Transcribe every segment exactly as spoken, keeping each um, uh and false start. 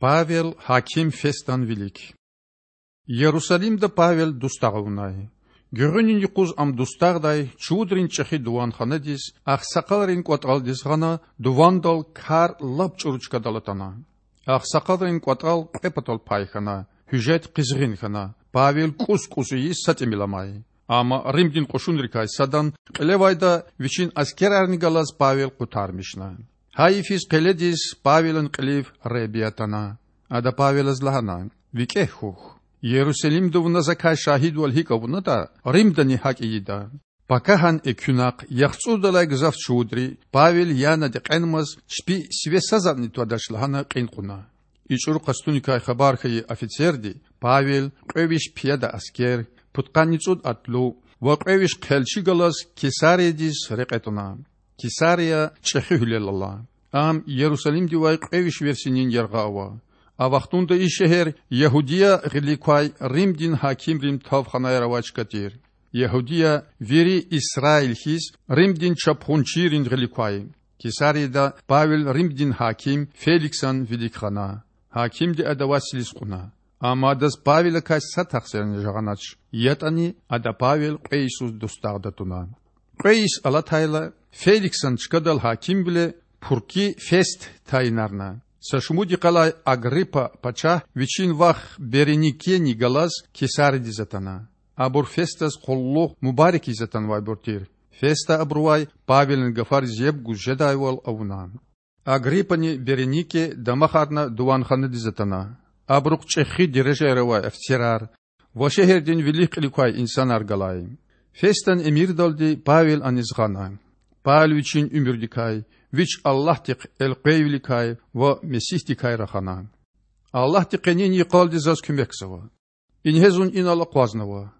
Павел гьаким Фестан вилик. Ярусалимда Павел дустагъ авунай. Гуьгъуьнин юкъуз ам дустагъдай чувудрин чІехи дуванханадиз, агъсакъалрин кІватІалдиз гъана, дувандал кар лап чІуру чкадал атана. Агъсакъалрин кІватІал кьве патал пай хьана, гьуьжет къизгъин хьана, Павел кІус-кІус ийиз са тІимил амай. Амма Римдин кьушунрикай садан кьилевайда вичин аскерарни галаз Павел къутармишна. Гьа йифиз къеледиз Павелан кьилив Худа атана. Ада Павелаз лагьана: ВикІегь хьухь. Ярусалимда вуна закай шагьидвал гьикІ авунатІа, Римдани гьакІ ийида. Пакагьан экуьнахъ яхцІурдалай гзаф чувудри, Павел яна декьенмаз, чпи сиве са затІни твадач лагьана кьин кьуна. И чІуру къастуникай хабар хьайи офицерди Павел, кьве виш пияда аскер, пудкъанни цІуд атлу ва кьве виш хъелчи галаз Кесариядиз рекье тІана. Кесария чІехи гьуьлел ала. Ам Ярусалимдивай кьве виш версинин яргъа ава. А вахтунда и шегьер Ягьудия гъилик квай Римдин гьакимрин тавханаяр авай чка тир. Ягьудия вири Исраил хьиз Римдин чапхунчийрин гъилик квай. Кесарияда Павел Римдин гьаким Феликсан вилик гъана. Гьакимди адавай слиз кьуна. Амма адаз Павелакай са тахсирни жагъанач, ятІани ада Павел кьве йисуз дустагъда туна. Кьве йис алатайла, Феликсан чкадал гьакимвиле Пуркий Фест тайинарна. Са шумуд йикъалай Агриппа пачагь вичин вах Береникени галаз Кесариядиз атана. Абур Фестаз къуллугъ мубарак ийиз атанвайбур тир. Феста абурувай Павелан гафариз яб гуз жедайвал авуна. Агриппани Беренике дамахарна дуванханадиз атана. Абурухъ чІехи дережаяр авай офицерар ва шегьердин вилик кьилик квай инсанар галай. Фестан эмирдалди Павел аниз гъана. Павел вичин уьмуьрдикай, вич Аллагьдихъ элкъвейвиликай ва Месигьдикай рахана: Аллагьди къенин йикъалди заз куьмекзава. Ингье зун инал акъвазнава.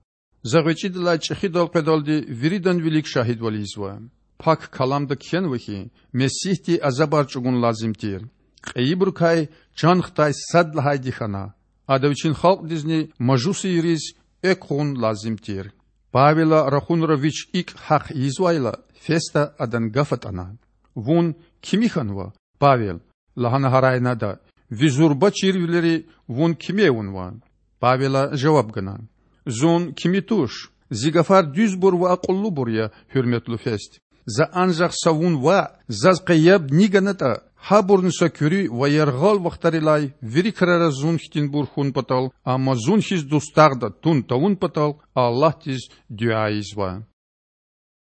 За гъвечІидалай чІехидал къведалди виридан вилик шагьидвал ийизва. Пак Каламда кхьенва хьи, Месигьди азабар чІугун лазим тир, кьейибурукай чан хтай сад лагьайди хьана, ада вичин халкьдизни мажусийриз экв гъун лазим тир. Павела рахунра вич икІ гьахъ ийизвайла, Феста адан гаф атІана: Вун кими хьанва, Павел? лагьана гьарайна ада. Ви зурба чирвилери вун кими авунва? Павела жаваб гана: Зун кими туш. Зи гафар дуьзбур ва акьуллубур я, гьуьрметлу Фест. За анжах са вун ваъ, заз къе яб ни ганатІа, гьабурни са куьруь ва яргъал вахтарилай вири крара зун хьтинбур хьун патал, амма зун хьиз дустагъда тун тавун патал Аллагьдиз дуьа ийизва.